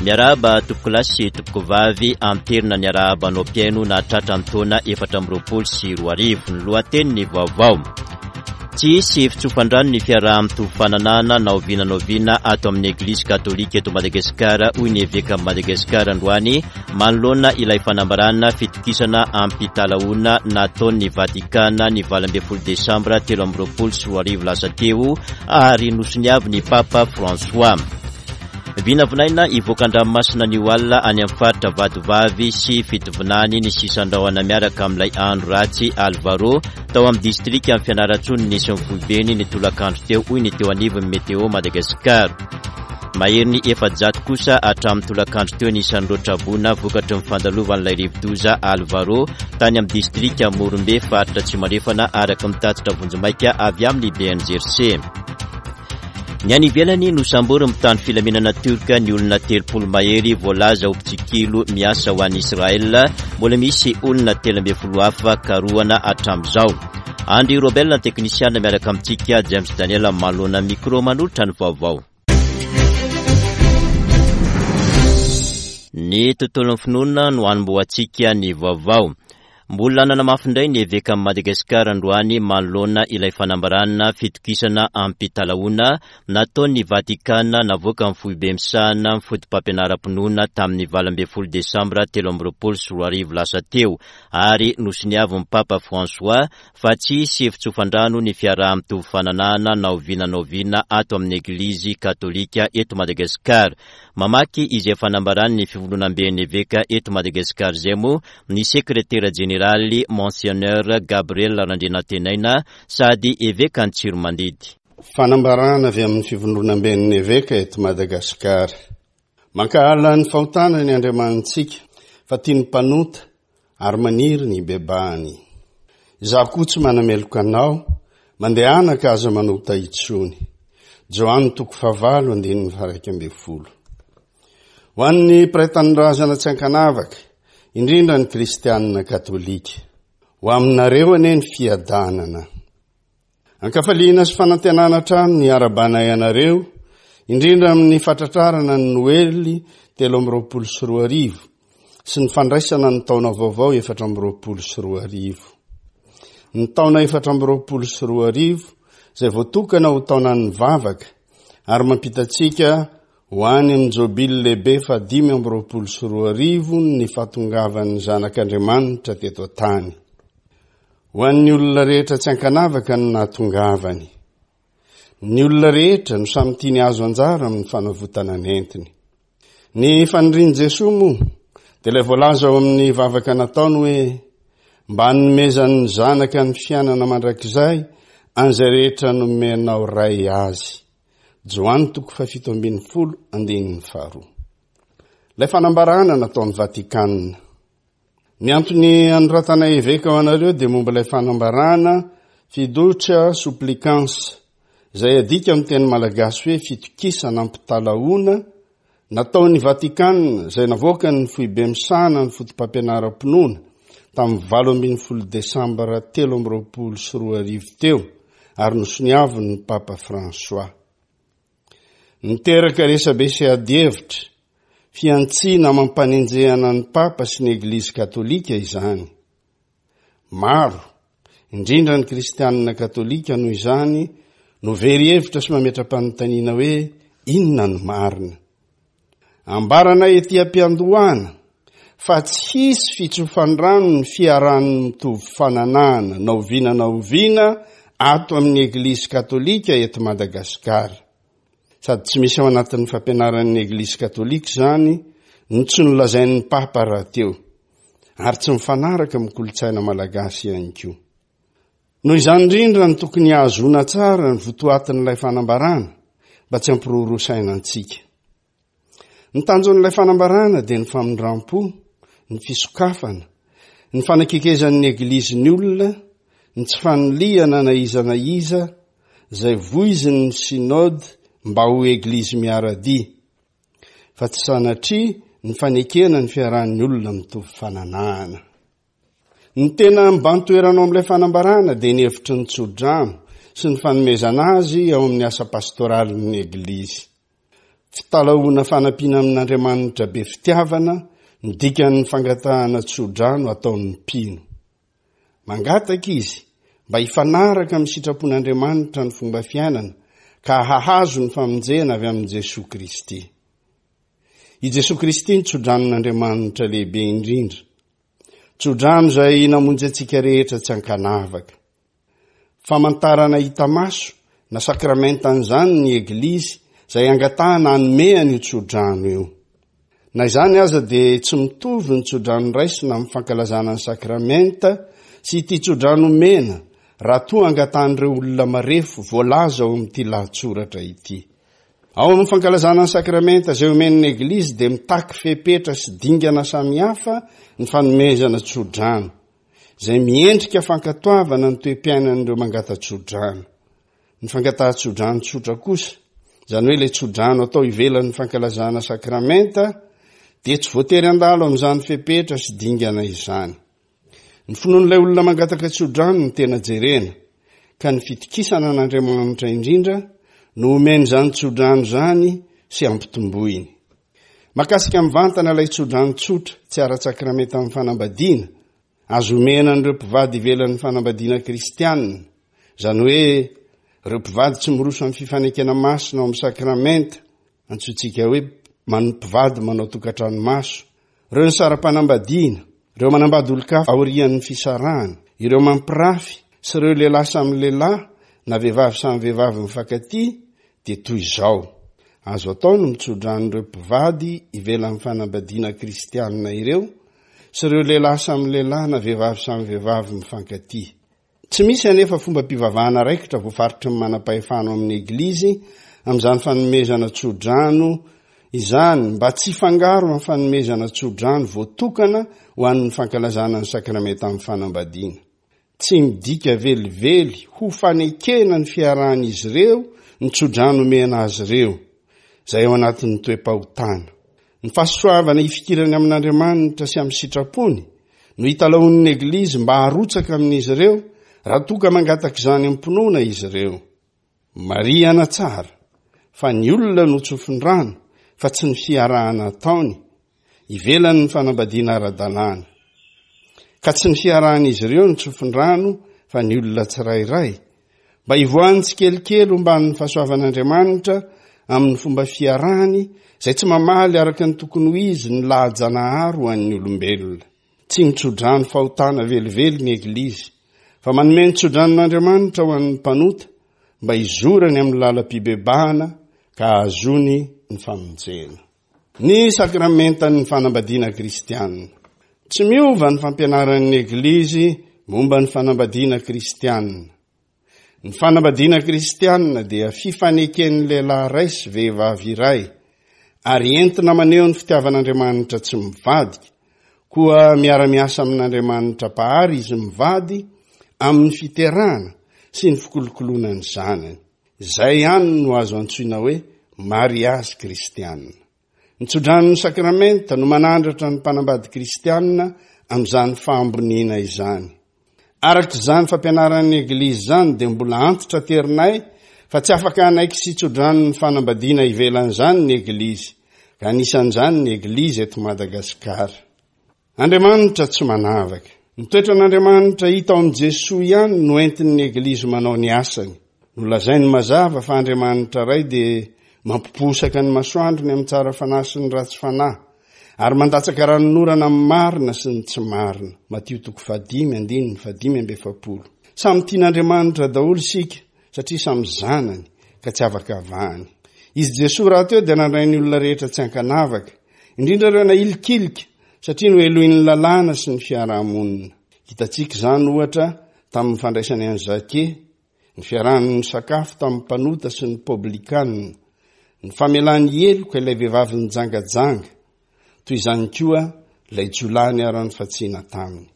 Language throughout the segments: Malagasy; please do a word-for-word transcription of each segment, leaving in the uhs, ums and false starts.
Miarahaba tompokolahy sy tompokovavy, anterina ny arahabanao mpihaino nahatratra ny taona efatra amby roapolo sy roa arivo. Ny lohateny ny vaovao. Tsy hisy fitsofan-drano ny fiaraha-mitovy fananahana na oviana na oviana ato amin'ny Eglizy Katolika eto Madagasikara, hoy ny evekan'i Madagasikara androany manoloana ilay fanambarana fitokisana ampitalahoana nataon'ny Vatikana ny valo ambin'ny folo desambra telo amby roapolo sy roa arivo lasa teo ary nosoniavin'ny Papa François. Vinavinaina hivoaka an-dranomasina anio alina any amin'ny faritra Vatovavy sy Fitovinany ny sisan-drahona miaraka amin'ilay andro ratsy Alvaro tao amin'ny distrikan'i Fianarantsoa no nisy ny foibeny ny tolakandro teo, hoy ny teo anivon'ny Météo Madagascar. Maherin'ny efajato kosa hatramin'ny tolakandro teo ny isan'ireo traboina vokatry ny fandalovan'ilay rivodoza Alvaro tany amin'ny distrika Morombe, faritra Atsimo Andrefana, araka ny tatitra vonjimaika avy amin'ny B N G R C. Ny any ivelany nosamborin'ny mpitandro filaminana turka ny olona telopolo mahery voalaza ho mpitsikilo miasa ho an'i Israël. Mbola misy olona telo ambin'ny folo hafa karohana hatramin'izao. Andry Robel, ny teknisiana miaraka amintsika, James Daniel manoloana micro manolotra ny vaovao. Ny tontolon'ny finoana no hanombohantsika ny vaovao. Mbola nanamafy indray ny evekan'i Madagasikara androany manoloana ilay fanambarana fitokisana ampitalahoana nataon'ny Vatikana navoaka ny foibe misahana ny foto-pampianaram-pinoana tamin'ny valo ambin'ny folo desambra telo amby roapolo sy roa arivo lasa teo ary nosoniavin'ny Papa François fa tsy hisy fitsofan-drano ny fiaraha-mitovy fananahana na oviana na oviana ato amin'ny Eglizy Katolika eto Madagasikara. Mamaky izay fanambaran'ny fivondronamben'ny eveka eto Madagasikara izay moa ny sekretera jeneraly Monseigneur Gabriel Randrianantenaina sady eveka Antsiromandidy. Fanambarana avy amin'ny fivondronamben'ny eveka eto Madagasikara. Mankahala ny fahotana ny Andriamanitsika fa tia ny mpanota ary maniry ny bebahany. Izaho koa tsy manameloka anao, mandehana ka aza manota intsony. Joany toko fahavalo andininy faha-iraika ambin'ny folo. Ho an'ny mpiray tanindrazana tsy ankanavaka, indrindra ny kristianina katolika, ho aminareo anie ny fiadanana. Ankafaliana sy fanantenana hatrany ny arabanay anareo, indrindra amin'ny fatratrarana ny Noely telo amby roapolo sy roa arivo sy ny fandraisana ny taona vaovao efatra amby roapolo sy roa arivo. Ny taona efatra amby roapolo sy roa arivo izay voatokana ho taonan'ny vavaka ary mampita antsika ho any amin'ny jobily lehibe fahadimy amby roapolo sy roa arivo ny fahatongavan'ny zanak'Andriamanitra teto an-tany. Ho an'ny olona rehetra tsy ankanavaka no nahatongavany. Ny olona rehetra no samy tiany azo anjara amin'ny fanavotana nentiny. Ny fanirian'i Jesoa moa dia ilay voalaza ao amin'ny vavaka nataony hoe mba hanomezan'ny zanaka ny fiainana mandrakizay an'izay rehetra nomenao Ray azy. Joany toko fahafito ambin'ny folo andininy faharoa. Ilay fanambarana nataon'ny Vatikana. Ny antony anoratana eveka ho anareo dia momba ilay fanambarana fiducia supplicans izay adika amin'ny teny malagasy hoe fitokisana ampitalahoana nataon'ny Vatikana izay navoakan'ny foibe misahana ny foto-pampianaram-pinoana tamin'ny valo ambin'ny folo desambra telo amby roapolo sy roa arivo teo ary nosoniavin'ny Papa François. Niteraka resabe sy adihevitra, fihantsiana amam-panenjehana ny Papa sy ny Eglizy Katolika izany. Maro, indrindra ny kristianina katolika noho izany, no very hevitra sy mametra-panontaniana hoe inona no marina. Ambarana ety am-piandohana fa tsy hisy fitsofan-drano ny fiarahan'ny mitovy fananahana na oviana na oviana ato amin'ny Eglizy Katolika eto Madagasikara. Sady tsy misy ao anatin'ny fampianaran'ny Eglizy Katolika izany no tsy nolazain'ny Papa rahateo, ary tsy mifanaraka amin'ny kolontsaina malagasy ihany koa. Noho izany indrindra no tokony hahazoana tsara ny votoatin'ilay fanambarana mba tsy hampiroroa saina antsika. Ny tanjon'ilay fanambarana dia ny famindram-po, ny fisokafana, ny fanakekezan'ny Eglizy ny olona, ny tsy fanilihana na iza na iza izay voizin'ny synode mba ho Eglizy miara-dia, fa tsy sanatria ny fanekena ny fiarahan'ny olona mitovy fananahana. Ny tena mibahan-toerana ao amin'ilay fanambarana dia ny hevitry ny tsodrano sy ny fanomezana azy ao amin'ny asa pastoralin'ny Eglizy. Fitalahoana fanampiana amin'Andriamanitra be fitiavana ny dikan'ny fangatahana tsodrano ataon'ny mpino. Mangataka izy mba hifanaraka amin'ny sitrapon'Andriamanitra ny fomba fiainana ka hahazo ny famonjena avy amin'i Jesoa Kristy. I Jesoa Kristy ny tsodranon'Andriamanitra lehibe indrindra. Tsodrano izay namonjy antsika rehetra tsy ankanavaka. Famantarana hita maso na sakramentan'izany ny Eglizy izay angatahana hanome an'io tsodrano io. Na izany aza dia tsy mitovy ny tsodrano raisina amin'ny fankalazana ny sakramenta sy ity tsodrano omena raha toa angatahan'ireo olona marefo voalaza ao amin'ity lahatsoratra ity. Ao amin'ny fankalazana ny sakramenta izay omen'ny Eglizy dia mitaky fepetra sy dingana samihafa ny fanomezana tsodrano, izay miendrika fankatoavana ny toe-piainan'ireo mangata-tsodrano. Ny fangatahan-tsodrano tsotra kosa, izany hoe ilay tsodrano atao ivelan'ny fankalazana sakramenta, dia tsy voatery handalo amin'izany fepetra sy dingana izany. Ny finoan'ilay olona mangataka tsodrano no tena jerena, ka ny fitokisana an'Andriamanitra indrindra no omeny izany tsodrano izany sy ampitomboiny. Mahakasika mivantana ilay tsodrano tsotra tsy ara-tsakramenta amin'ny fanambadiana, azo omena an'ireo mpivady ivelan'ny fanambadiana kristianina, izany hoe ireo mpivady tsy miroso amin'ny fifanekena masina ao amin'ny sakramenta, antsointsika hoe mpivady manao tokantrano maso, ireo nisara-panambadiana, ireo manambady olon-kafa aorian'ny fisarahana, ireo mampirafy sy ireo lehilahy samy lehilahy na vehivavy samy vehivavy mifankatia dia toy izao. Azo atao ny mitsodrano ireo mpivady ivelan'ny fanambadiana kristianina ireo sy ireo lehilahy samy lehilahy na vehivavy samy vehivavy mifankatia. Tsy misy anefa fomba-pivavahana raikitra voafaritry ny manam-pahefana ao amin'ny Eglizy amin'izany fanomezana tsodrano izany mba tsy hifangaro amin'ny fanomezana tsodrano voatokana ho an'ny fankalazana ny sakramenta amin'ny fanambadiana. Tsy midika velively ho fanekena ny fiarahan'izy ireo ny tsodrano omena azy ireo, izay ao anatin'ny toe-pahotana. Ny fahasoavana hifikirany amin'Andriamanitra sy amin'ny sitrapony no hitalahoan'ny Eglizy mba harotsaka amin'izy ireo raha toa ka mangataka izany am-pinoana izy ireo. Marihana tsara fa ny olona no tsofin-drano fa tsy ny fiarahana ataony ivelan'ny fanambadiana ara-dalàna. Ka tsy ny fiarahan'izy ireo no tsofin-drano fa ny olona tsirairay mba hivoahany tsikelikely homban'ny fahasoavan'Andriamanitra amin'ny fomba fiarahany izay tsy mamaly araka ny tokony ho izy ny laha-janahary ho an'ny olombelona. Tsy mitsodrano fahotana velively ny Eglizy fa manome ny tsodranon'Andriamanitra ho an'ny mpanota mba hizorany amin'ny lalam-pibebahana ka hahazoany ny famonjena. Ny sakramentan'ny fanambadiana kristianina. Tsy miova ny fampianaran'ny Eglizy momba ny fanambadiana kristianina. Ny fanambadiana kristianina dia fifaneken'ny lehilahy iray sy vehivavy iray ary entina maneho ny fitiavan'Andriamanitra tsy mivadika, koa miara-miasa amin'Andriamanitra mpahary izy mivady amin'ny fiterahana sy ny fikolokoloana ny zanany. Izay ihany no azo antsoina hoe mariazy kristianina. Ny tsodranon'ny sakramenta no manandratra ny mpanambady kristianina amin'izany fahamboniana izany. Araka izany fampianaran'ny Eglizy izany dia mbola antitra terinay fa tsy afaka hanaiky sy tsodranon'ny fanambadiana ivelan'izany ny Eglizy, ka anisan'izany ny Eglizy eto Madagasikara. Andriamanitra tsy manavaka. Ny toetran'Andriamanitra hita ao amin'i Jesoa ihany no entin'ny Eglizy manao ny asany. Nolazainy mazava fa Andriamanitra Ray dia mampiposaka ny masoandrony amin'ny tsara fanahy sy ny ratsy fanahy, ary mandatsaka ranonorana amin'ny marina sy ny tsy marina. Matio toko fahadimy andininy fahadimy amby efapolo. Samy tian'Andriamanitra daholo isika satria samy zanany ka tsy afaka avahany. Izy Jesoa rahateo dia nandray ny olona rehetra tsy ankanavaka, indrindra ireo nahilikilika satria noheloin'ny lalàna sy ny fiarahamonina. Hitantsika izany ohatra tamin'ny fandraisany an'i Zake, ny fiarahany nisakafo tamin'ny mpanota sy ny poblikanina, ny famelany heloka ilay vehivavy nijangajanga, toy izany koa ilay jiolahy niharan'ny fatsiana taminy.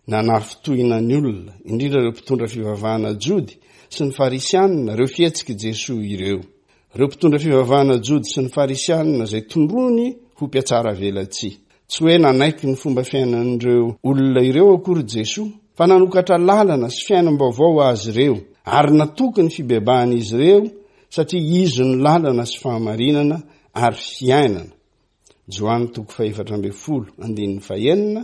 Nanafintohina ny olona, indrindra ireo mpitondra fivavahana jody sy ny farisianina, ireo fihetsik'i Jesoa ireo. Ireo mpitondra fivavahana jody sy ny farisianina izay tondroiny ho mpiatsara velatsihy. Tsy hoe nanaiky ny fomba fiainan'ireo olona ireo akory Jesoa, fa nanokatra lalana sy fiainam-baovao ho azy ireo, ary natoky ny fibebahan'izy ireo satria izy no lalana sy fahamarinana ary fiainana. Joany toko fahefatra ambin'ny folo andininy fahenina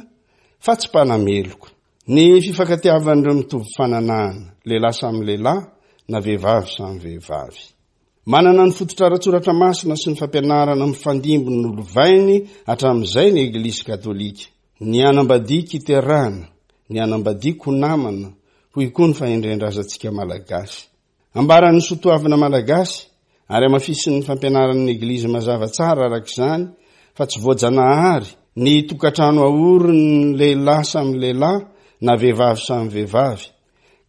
fa tsy mpanameloka. Ny fifankatiavan'ireo mitovy fananahana, lehilahy samy lehilahy na vehivavy samy vehivavy. Manana ny fototra ara-tsoratra masina sy ny fampianarana mifandimby nolovainy hatramin'izay ny Eglizy katolika. Ny hanambadiako hiterahana, ny hanambadiako ho namana, hoy koa ny fahendren-drazantsika malagasy. Ambaran'ny soatoavina malagasy ary hamafisin'ny fampianaran'ny Eglizy mazava tsara araka izany fa tsy voajanahary ny tokantrano aorin'ny lehilahy samy lehilahy na vehivavy samy vehivavy,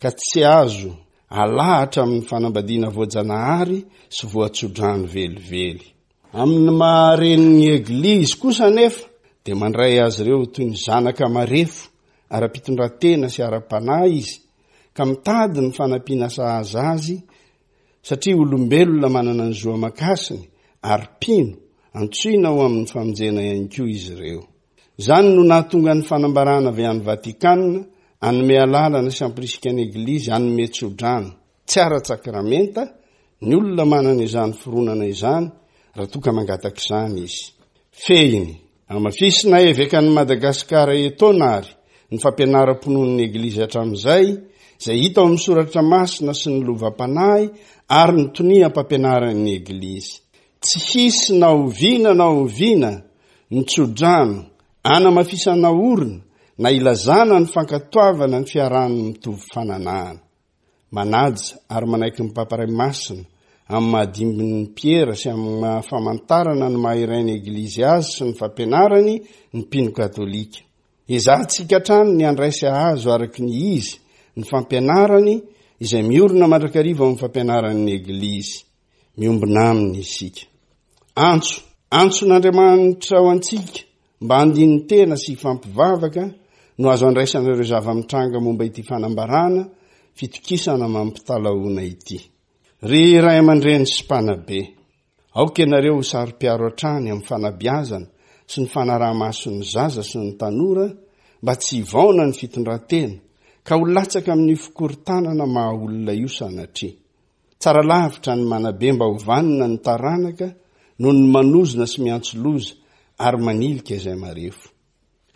ka tsy azo alahatra amin'ny fanambadiana voajanahary sy voatsodrano velively. Amin'ny maha-renin'ny Eglizy kosa anefa dia mandray azy ireo toy ny zanaka marefo ara-pitondran-tena sy ara-panahy izy, ka mitady ny fanampiana sahaza azy satria olombelona manana ny zo aman-kasiny ary mpino antsoina ho amin'ny famonjena ihany koa izy ireo. Izany no nahatonga ny fanambarana avy any Vatikana hanome alalana sy hampirisika ny Eglizy hanome tsodrano tsy ara-tsakramenta ny olona manana izany fironana izany raha toa ka mangataka izany izy. Fehiny, hamafisina evekan'i Madagasikara etoana ary ny fampianaram-pinoan'ny Eglizy hatramin'izay, izay hita ao amin'ny soratra masina sy ny lovam-panahy ary ny toniam-pampianaran'ny Eglizy. Tsy hisy na oviana na oviana ny tsodrano anamafisana orina na ilazana ny fankatoavana ny fiarahan'ny mitovy fananahana. Manaja ary manaiky ny Papa Ray Masina amin'ny mahadimbin'ny Piera sy amin'ny maha-famantarana ny maha-iray ny Eglizy azy sy ny fampianarany ny mpino katolika. Ezahantsika hatrany ny handray sy hahazo araka ny izy ny fampianarany izay miorina mandrakariva amin'ny fampianaran'ny Eglizy. Miombona aminy isika. Antso, antson'Andriamanitra ho antsika mba handini-tena sy hifampivavaka no azo andraisana ireo zava-mitranga momba ity fanambarana fitokisana mampitalahoana ity. Ry ray aman-dreny sy mpanabe, aoka ianareo ho saro-piaro hatrany amin'ny fanabeazana sy ny fanaraha-mason'ny zaza sy ny tanora mba tsy hivaona ny fitondran-tena ka ho latsaka amin'ny fikorontanana maha olona io sanatria. Tsara lavitra ny manabe mba ho vanona ny taranaka noho ny manozona sy miantso loza ary manilika izay marefo.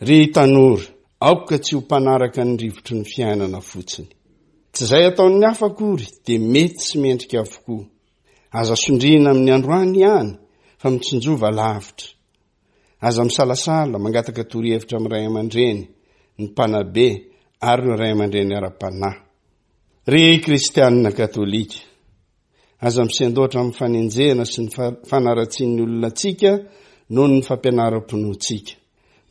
Ry tanora, aoka tsy ho mpanaraka ny rivotry ny fiainana fotsiny. Tsy izay ataon'ny hafa akory dia mety sy mendrika avokoa. Aza sondriana amin'ny androany ihany fa mitsinjova lavitra. Aza misalasala mangataka torohevitra amin'ny ray aman-dreny, ny mpanabe ary ny ray aman-dreny ara-panahy. Ry kristianina katolika, aza misendoatra amin'ny fanenjehana sy ny fanaratsian'ny olona antsika noho ny fampianaram-pinoantsika.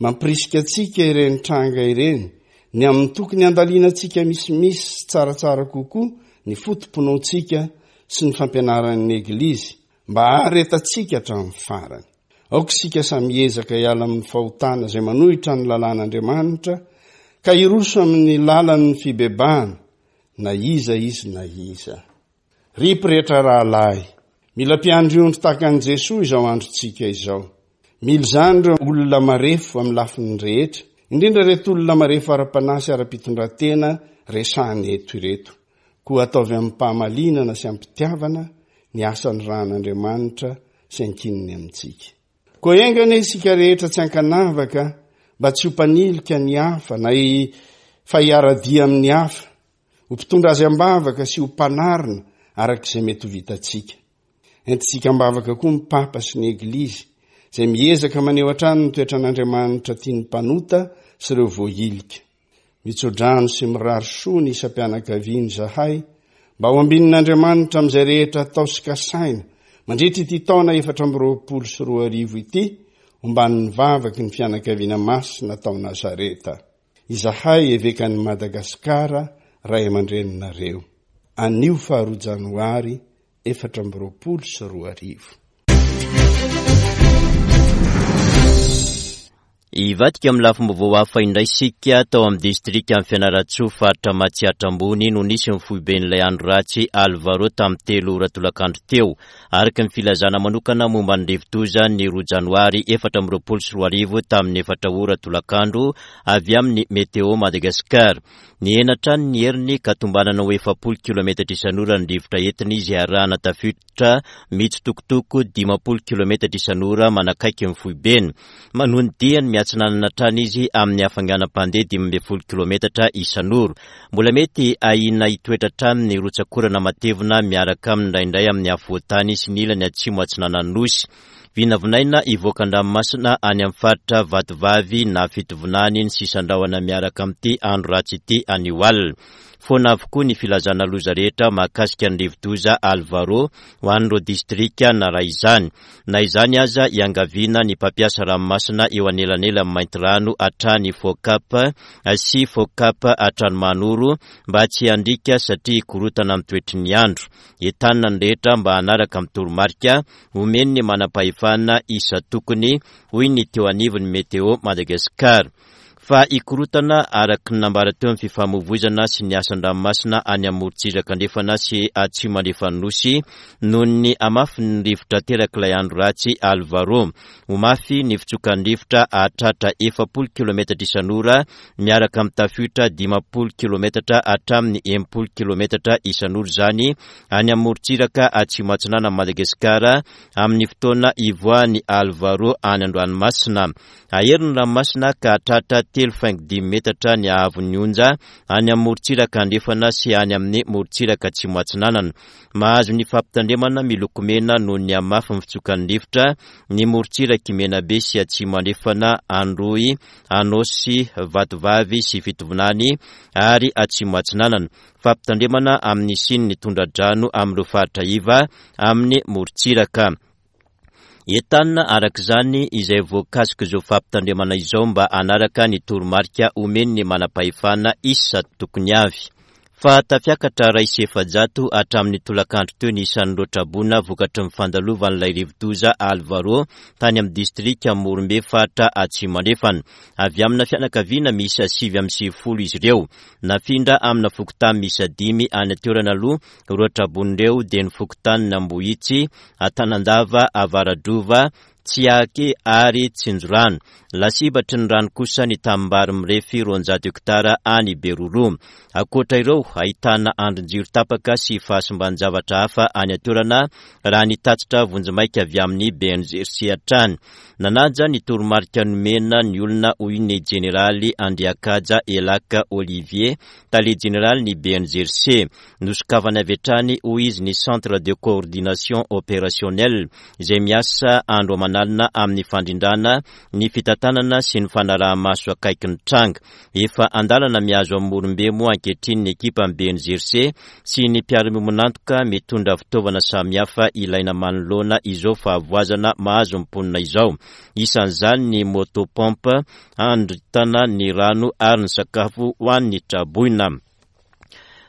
Mampirisika antsika ireny tranga ireny ny amin'ny tokony handalinantsika misimisy sy tsaratsara kokoa ny foto-pinoantsika sy ny fampianaran'ny Eglizy mba haharetantsika hatramin'ny farany. Aoka isika samy hiezaka hiala amin'ny fahotana izay manohitra ny lalàn'Andriamanitra ka hiroso amin'ny lalan'ny fibebahana na iza izy na iza. Ry mpirehetra rahalahy, mila mpiandry ondry tahaka an'i Jesoa izao androntsika izao. Mila izany ireo olona marefo amin'ny lafiny rehetra, indrindra ireto olona marefo ara-panahy sy ara-pitondran-tena resahana eto ireto. Koa ataovy amim-pahamalinana sy am-pitiavana ny asan'ny rahan'Andriamanitra sy ankininy amintsika. Koa enga anie isika rehetra tsy ankanavaka mba tsy ho mpanilika ny hafa na fa hiara-dia amin'ny hafa, ho mpitondra azy am-bavaka sy ho mpanarina araka izay mety ho vitantsika. Entintsika am-bavaka koa ny Papa sy ny Eglizy, izay miezaka maneho hatrany ny toetran'Andriamanitra tian'ny mpanota sy ireo voahilika. Mitsodrano sy mirary soa ny isam-pianakaviana izahay mba ho ambinin'Andriamanitra amin'izay rehetra atao sy kasaina mandritra ity taona efatra amby roapolo sy roa arivo ity, omban'ny vavaky ny fianakaviana masina tao Nazareta. Izahay evekan'i Madagasikara, ray aman-dreninareo. Anio faharoa janoary efatra amby roapolo sy roa arivo. Hivadika amin'ny lafim-baovao hafa indray isika. Tao amin'ny distrikan'i Fianarantsoa, faritra Matsiatra Ambony, no nisy ny foiben'ilay andro ratsy Alvaro tamin'ny telo ora tolakandro teo. Araka ny filazana manokana momba ny rivodoza ny roa janoary efatra amby roapolo sy roa arivo tamin'ny efatra ora tolakandro avy amin'ny Météo Madagascar. Nihena hatrany ny heriny ka tombanana ho efapolo kilometatra isan'ora ny rivotra entina izy, arahana tafiotra mitsitokotoko dimampolo kilometatra isan'ora manakaiky ny foibeny. Manohy ny diany miatsinanana hatrany izy amin'ny hafainganam-pandeha dimy ambin'ny folo kilometatra isan'ora. Mbola mety ahiana hitoetra hatrany ny rotsakorana matevina miaraka aminy indraindray amin'ny afovoan-tany sy ny ilany atsimo atsinanan'ny Nosy. Vinavinaina hivoaka an-dranomasina any amin'ny faritra Vatovavy na Fitovinany ny sisan-drahona miaraka amin'ity andro ratsy ity anio alina. Foana avokoa ny filazana loza rehetra mahakasika ny rivodoza Alvaro ho an'ireo distrika naray izany. Na izany aza, iangaviana ny mpampiasa ranomasina eo anelanelan'ny Maintirano hatrany Focap sy Focap hatrany Mahanoro mba tsy handriaka satria hikorotana amin'ny toetry ny andro. Entanina ny rehetra mba hanaraka amin'ny toromarika omen'ny manam-pahefana isan-tokony, hoy ny teo anivon'ny Météo Madagascar. Fa hikorotana araka ny nambara teo ny fifamoivoizana sy ny asan-dranomasina any amin'ny morontsiraka andrefana sy atsimo andrefan'ny Nosy noho ny hamafin'ny rivotra aterak'ilay andro ratsy Alvaro. Ho mafy ny fitsokan'ny rivotra hahatratra efapolo kilometatra isan'ora miaraka amin'ny tafiotra dimampolo kilometatra hatramin'ny enimpolo kilometatra isan'ora izany any amin'ny morontsiraka atsimo atsinanan'i Madagasikara amin'ny fotoana ivoahan'ny Alvaro any an-dranomasina. Hahery ny ranomasina ka hahatratra telo faingo dimy metatra ny haavon'ny onja any amin'ny morontsiraka andrefana sy any amin'ny morontsiraka atsimo atsinanana. Mahazo ny fampitandremana miloko mena noho ny hamafin'ny fitsokan'ny rivotra ny morontsiraky Menabe sy atsimo andrefana, Androy, Anôsy, Vatovavy sy Fitovinany ary atsimo atsinanana. Fampitandremana amin'ny hisian'ny tondra-drano amin'ireo faritra iva amin'ny morontsiraka. Entanina araka izany izay voakasik'izao fampitandremana izao mba hanaraka ny toromarika omen'ny manam-pahefana isan-tokony avy. Fa tafiakatra iray sy efajato hatramin'ny tolakandro teo ny isan'ireo traboina vokatry ny fandalovan'ilay rivodoza Alvaro tany amin'ny distrika Morombe faritra Atsimo Andrefana. Avy amina fianakaviana miisa sivy amby sivifolo izy ireo. Nafindra amina fokontany miisa dimy any an-toerana aloha ireo traboina ireo dia ny fokontanin'Ambohitsy, Antanandava, Avaradrova, Tsiaky ary Tsinjorano. Lasibatry ny rano kosa ny tanimbary mirefy roanjato hektara any Beroroha. Ankoatra ireo, ahitana andrin-jiro tapaka sy fahasimban-javatra hafa any an-toerana raha ny tatitra vonjimaika avy amin'ny B N G C hatrany. Nanaja ny toromarika nomena ny olona hoy ny jeneraly Andriakaja Elaka Olivier, tale jeneraly ny B N G C. Nosokafana avy hatrany hoy izy ny centre de coordination opérationnelle izay miasa andro aman'alina amin'ny fandrindrana ny fitantanana sy ny fanaraha-maso akaiky ny tranga. Efa andalana mihazo amin'ny Morombe moa ankehitriny ny ekipan'ny B N G C sy ny mpiara-miombon'antoka mitondra fitaovana samihafa ilaina manoloana izao fahavoazana mahazo ny mponina izao. Isan'izany ny motopompe handritana ny rano ary ny sakafo ho an'ny traboina.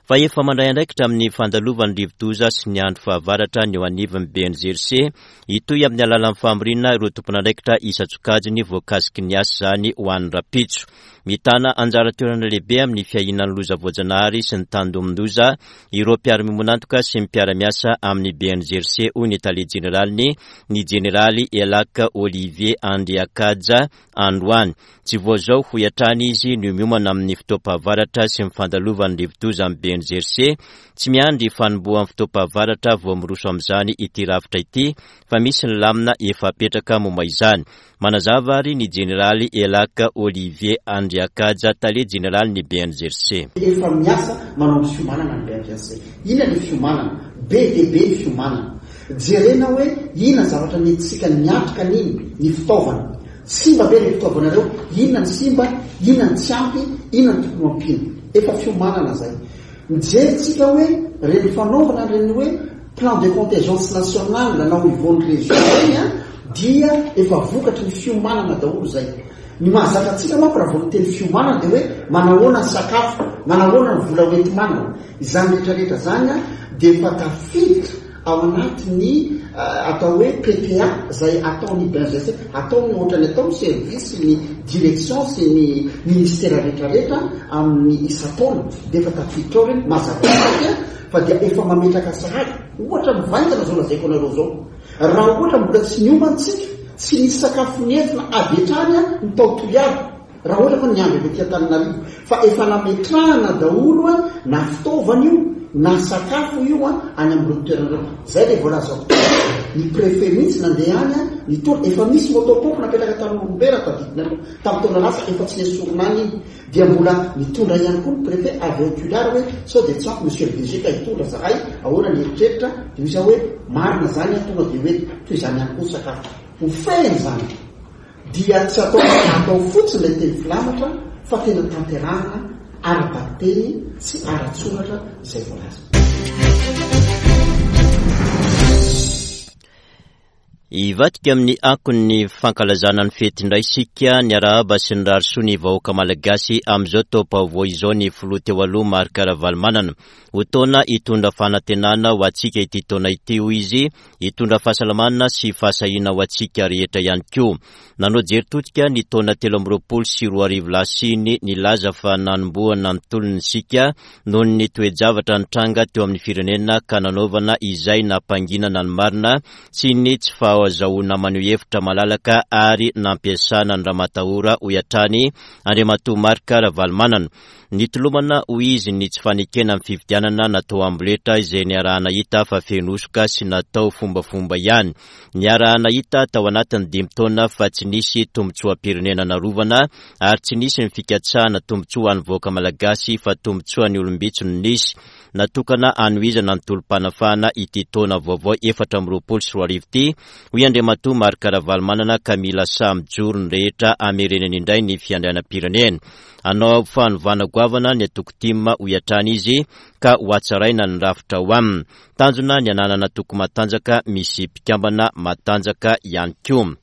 Fa efa mandray andraikitra amin'ny fandalovan'ny rivodoza sy ny andro fahavaratra ny eo anivon'ny B N G C, hitohy amin'ny alalan'ny famoriana ireo tompon'andraikitra isan-tsokajiny voakasiky ny asa izany ho an'ny rapitso. Mitana anjara toerana lehibe amin'ny fiahiana ny loza voajanahary sy ny tandindomin-doza ireo mpiara-miombon'antoka sy ny mpiara-miasa amin'ny B N G C, hoy ny tale jeneraliny, ny jeneraly Elaka Olivier Andriakaja androany. Tsy vao izao hoy hatrany izy no miomana amin'ny fotoam-pahavaratra sy ny fandalovan'ny rivodoza amin'ny B N G C. Tsy miandry fanombohan'ny fotoam-pahavaratra vao miroso amin'izany ity rafitra ity fa misy ny lamina efa apetraka momba izany. Manazava ary ny jeneraly Elaka Olivier Andriakaja, tale jeneraly ny B N G C. Efa miasa manao ny fiomanana ny B N G C. Inona ny fiomanana? Be dia be ny fiomanana. Jerena hoe inona ny zavatra nentintsika niatrika an'iny, ny fitaovana. Simba ve ireo fitaovana ireo? Inona ny simba? Inona ny tsy ampy? Inona ny tokony ho ampiana? Efa fiomanana izay. Mijery tsika hoe ireny fanaovana ireny hoe plan de contingence nationale na au niveau ny région ireny a, dia efa vokatry ny fiomanana daholo izay. Ny mahazatra antsika manko raha vao miteny fiomanana dia hoe manahoana ny sakafo, manahoana ny vola hoenti-manana. Izany rehetrarehetra izany a, dia efa tafiditra Ao anatin'ny atao hoe P T A izay ataon'ny B N G C, ataony ohatran'ny atao ny service sy ny direction sy ny ministera rehetrarehetra amin'ny isan-taona, dia efa tafiditra ao ireny, mazava ho azy fa dia efa mametraka sahady. Ohatra mivaingana izao lazaiko anareo izao, raha ohatra mbola tsy niomana isika, tsy nisy sakafo nentina avy hatrany ny tao Toliara, raha ohatra fa niandry avy aty Antananarivo, fa efa nametrahana daholo na fitaovana io na sakafo io any amin'ireo toerana ireo. Izay ilay voalazako teo, ny préfet mihitsy nandeha any, nitondra, efa misy moto-pompe napetraka tany Morombe raha tadidinareo tamin'ny taona lasa, efa tsy nesorina any iny, dia mbola nitondra ihany koa ny préfet avy ao Toliara hoe sao dia tsy ampy monsieur le D G ka hitondra zahay, ahoana ny eritreritra, dia hoy izaho hoe marina zany, tonga dia hoe toy izany ihany koa ny sakafo. Ho fehiny zany dia tsy atao atao fotsiny ilay teny filamatra fa tena tanterahana ara-bakiteny sy ara-tsoratra izay voalaza. Hivadika amin'ny akon'ny fankalazana ny fety indray isika, niarahaba sy nirary soa ny vahoaka malagasy amin'izao taom-baovao izao ny filoha teo aloha Marc Ravalomanana. Ho taona hitondra fanantenana ho antsika ity taona ity, hoy izy, hitondra fahasalamana sy fahasahiana ho antsika rehetra ihany koa. Nanao jery todika ny taona telo amby roapolo sy roa arivo lasa iny, nilaza fa nanombohana ny tolona isika noho ny toe-javatra nitranga teo amin'ny firenena ka nanaovana izay nampanginana ny marina sy ny tsy fahazahoana maneho hevitra malalaka ary nampiasana ny ramatahora, hoy hatrany Andriamatoa Marc Ravalomanana. Nitolomana, hoy izy, ny tsy fanekena ny fifidianana natao amboletra izay niarahana hita fa feno hosoka sy natao fombafomba ihany. Niarahana hita tao anatin'ny dimy taona fa tsy nisy tombontsoam-pirenena narovana ary tsy nisy ny fikatsahana tombontsoa an'ny vahoaka malagasy fa tombontsoan'ny olom-bitsy no nisy. Natokana hanohizana ny tolom-panafahana ity taona vaovao efatra amby roapolo sy roa arivo ity, hoy Andriamatoa Marc Ravalomanana, ka mila samy mijoro ny rehetra hamerenany indray ny fiandrianam-pirenena. Hanao fanovana goavana ny antoko T I M, hoy hatrany izy, ka ho hatsaraina ny rafitra ho aminy. Tanjona ny hananana antoko matanjaka misy mpikambana matanjaka ihany koa.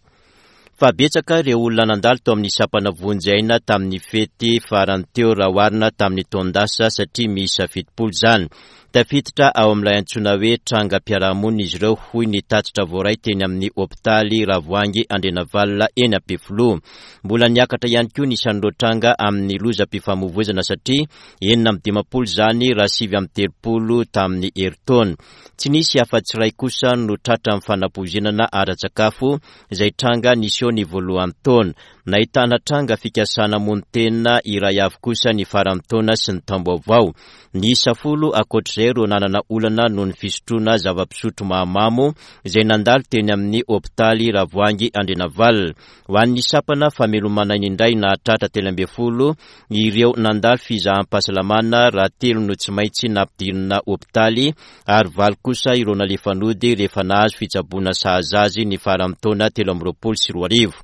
Fa betsaka ireo olona nandalo tao amin'ny sampana vonjy aina tamin'ny fety farany teo raha oharina tamin'ny taon-dasa satria miisa fitopolo izany. Tafiditra ao amin'ilay antsoina hoe trangam-piarahamonina izy ireo, hoy ny tatitra voaray teny amin'ny hopitaly Ravoahangy Andrianavalona eny Ampefiloha. Mbola niakatra ihany koa ny isan'ireo tranga amin'ny lozam-pifamoivoizana satria enina amby dimampolo izany raha sivy amby telopolo tamin'ny herintaona. Tsy nisy afa-tsy iray kosa no tratra amin'ny fanapoizinana ara-tsakafo izay tranga niseho ny voalohan'ny taona. Nahitana tranga fikasana hamono tena iray avy kosa ny faran'ny taona sy ny taom-baovao. Niisa folo ankoatr'izay ireo nanana olana noho ny fisotroana zava-pisotro mahamamo izay nandalo teny amin'ny hopitaly Ravoahangy Andrianavalona. Ho an'ny sampana famelomana aina indray nahatratra telo ambin'ny folo ireo nandalo fizaham-pahasalamana raha telo no tsy maintsy nampidirina hopitaly ary valo kosa ireo nalefa nody rehefa nahazo fitsaboana sahaza azy ny faran'ny taona telo amby roapolo sy roa arivo.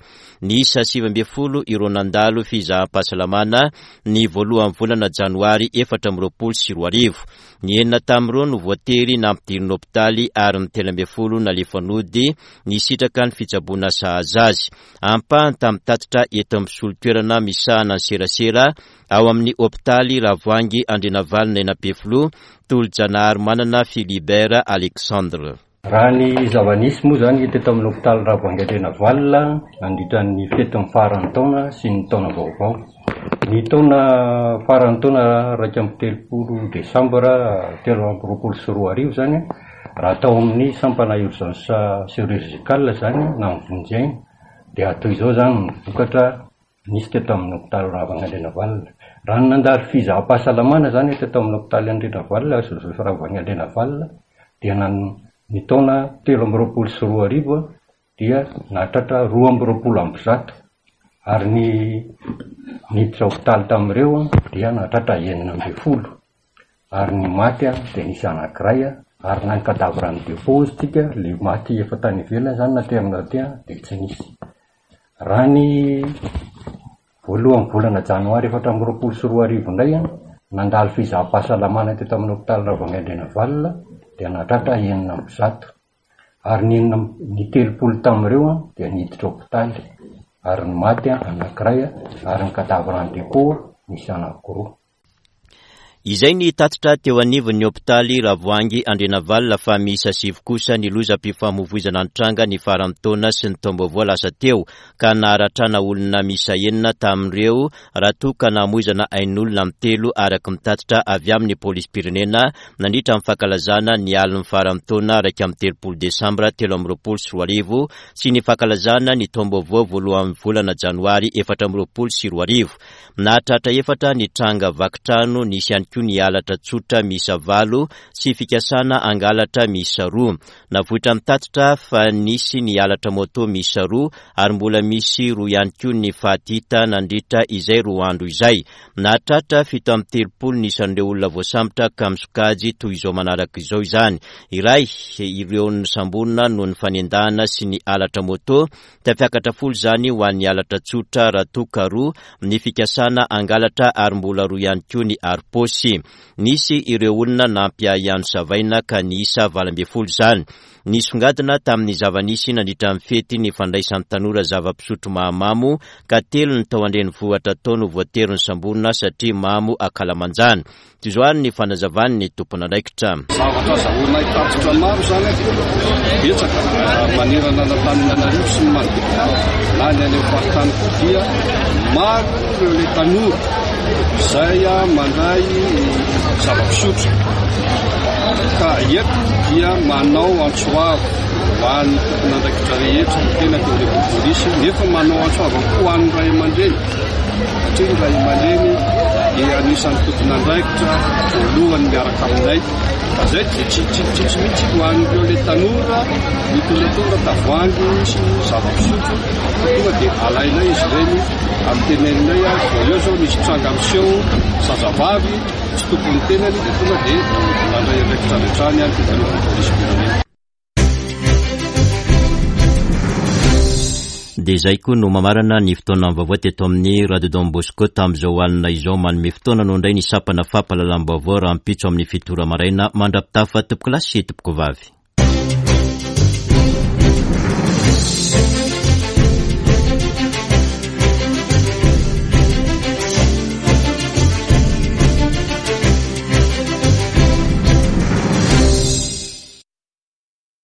Niisa sivy ambin'ny folo ireo nandalo fizaham-pahasalamana ny voalohan'ny volana janoary efatra amby roapolo sy roa arivo. Ny enina tamin'ireo no voatery nampidirina hopitaly ary ny telo ambin'ny folo nalefa nody nisitraka ny fitsaboana sahaza azy. Ampahany tamin'ny tatitra eto amin'ny solotoerana misahana ny serasera ao amin'ny hopitaly Ravoahangy Andrianavalona eny Ampefiloha, Tolojanahary Manana Philibert Alexandre. Raha ny zava-nisy moa zany teto amin'ny hopitaly Ravoahangy Andrianavalona nandritra ny fetin'ny faran'ny taona sy ny taona vaovao. Ny taona faran'ny taona iraika amby telopolo desambra telo amby roapolo sy roa arivo zany, raha tao amin'ny sampana urgence chirurgicale zany na ny vonjy aina, dia toy izao zany ny vokatra nisy teto amin'ny hopitaly Ravoahangy Andrianavalona. Raha ny nandalo fizaham-pahasalamana zany teto amin'ny hopitaly Andrianavalona, Joseph Ravoahangy Andrianavalona, dia nan-, ny taona telo amby roapolo sy roa arivo dia nahatratra roa amby roapolo amby zato, ary ny niditra hopitaly tamin'ireo dia nahatratra enina ambin'ny folo, ary ny maty dia nisy anankiray, ary na ny cadavre ny dépôt tsika le maty efa tany ivelany zany naterina aty dia tsy nisy. Raha ny voalohan'ny volana janoary efatra amby roapolo sy roa arivo indray nandalo fizaham-pahasalamana teto amin'ny hopitaly Ravoahangy Andrianavalona dia nahatratra enina amby zato, ary ny enina amby, ny telopolo tamin'ireo dia niditra hopitaly, ary ny maty anankiray, ary ny cadavre en dépôt nisy anankiroa. Izay ny tatitra teo anivon'ny hopitaly Ravoahangy Andrianavalona fa miisa sivy kosa ny lozam-pifamoivoizana nitranga ny faran'ny taona sy ny taom-baovao lasa teo ka naharatrana olona miisa enina tamin'ireo raha toa ka namoizana ain'olona amin'ny telo araka ny tatitra avy amin'ny polisim-pirenena nandritra ny fankalazana ny alin'ny faran'ny taona iraika amby telopolo desambra telo amby roapolo sy roa arivo sy ny fankalazana ny taom-baovao voalohan'ny volana janoary efatra amby roapolo sy roa arivo. Nahatratra efatra ny tranga vaky trano, nisy ihany koa ny halatra tsotra miisa valo sy fikasana hangalatra miisa roa. Navoitra ny tatitra fa nisy ny halatra moto miisa roa ary mbola misy roa ihany koa ny faty hita nandritra izay roa andro izay. Nahatratra fito amby telopolo ny isan'ireo olona voasambotra ka misokajy toy izao manaraka izao izany. Iray ireo nosamborina noho ny fanendahana sy ny halatra moto, tafiakatra folo izany ho an'ny halatra tsotra raha toa ka roa ny fikasana hangalatra ary mbola roa ihany koa ny harom-paosy. Nisy ireo olona nampiahiahy savaina ka niisa valo ambin'ny folo izany. Nisongadina tamin'ny zava-nisy nandritra ny fety ny fandraisan'ny tanora zava-pisotro mahamamo ka telo ny tao an-drenivohitra tao no voatery nosamborina satria mamo ankalamanjana. Toy izao ary ny fanazavan'ny tompon'andraikitra. Zavatra azahoanay tatitra maro izany betsaka manerana an'Antananarivo sy ny manodidina na ny any amin'ny faritany koa dia maro ireo ilay tanora izay mandray zava-pisotro ka eto dia manao antso avo ho an'ny tompon'andraikitra rehetra ny tena teo anivon'ny polisy nefa manao antso avo koa ho an'ny ray aman-dreny satria ny ray aman-dreny dia anisan'ny tompon'andraikitra voalohany miaraka aminay fa zay dia tsy tsy tsy tsy mihitsy ho an'ireo ilay tanora mitondratondra tavoahangy sy zava-pisotro fa tonga dia alainay izy ireny amin'ny teneninay vao eo zao misy tranga miseho zazavavy tsy tompon'ny tenany dia tonga dia mandray andraikitra avy hatrany any teto anivon'ny polisim-pirenena. Dia izay koa no mamarana ny fotoana vaovao teto amin'ny Radio Don Bosco tamin'izao alina izao. Manome fotoana no indray ny sampana fampahalalam-baovao rahampitso amin'ny fito ora maraina mandra-pitafa tompokolahy sy tompokovavy.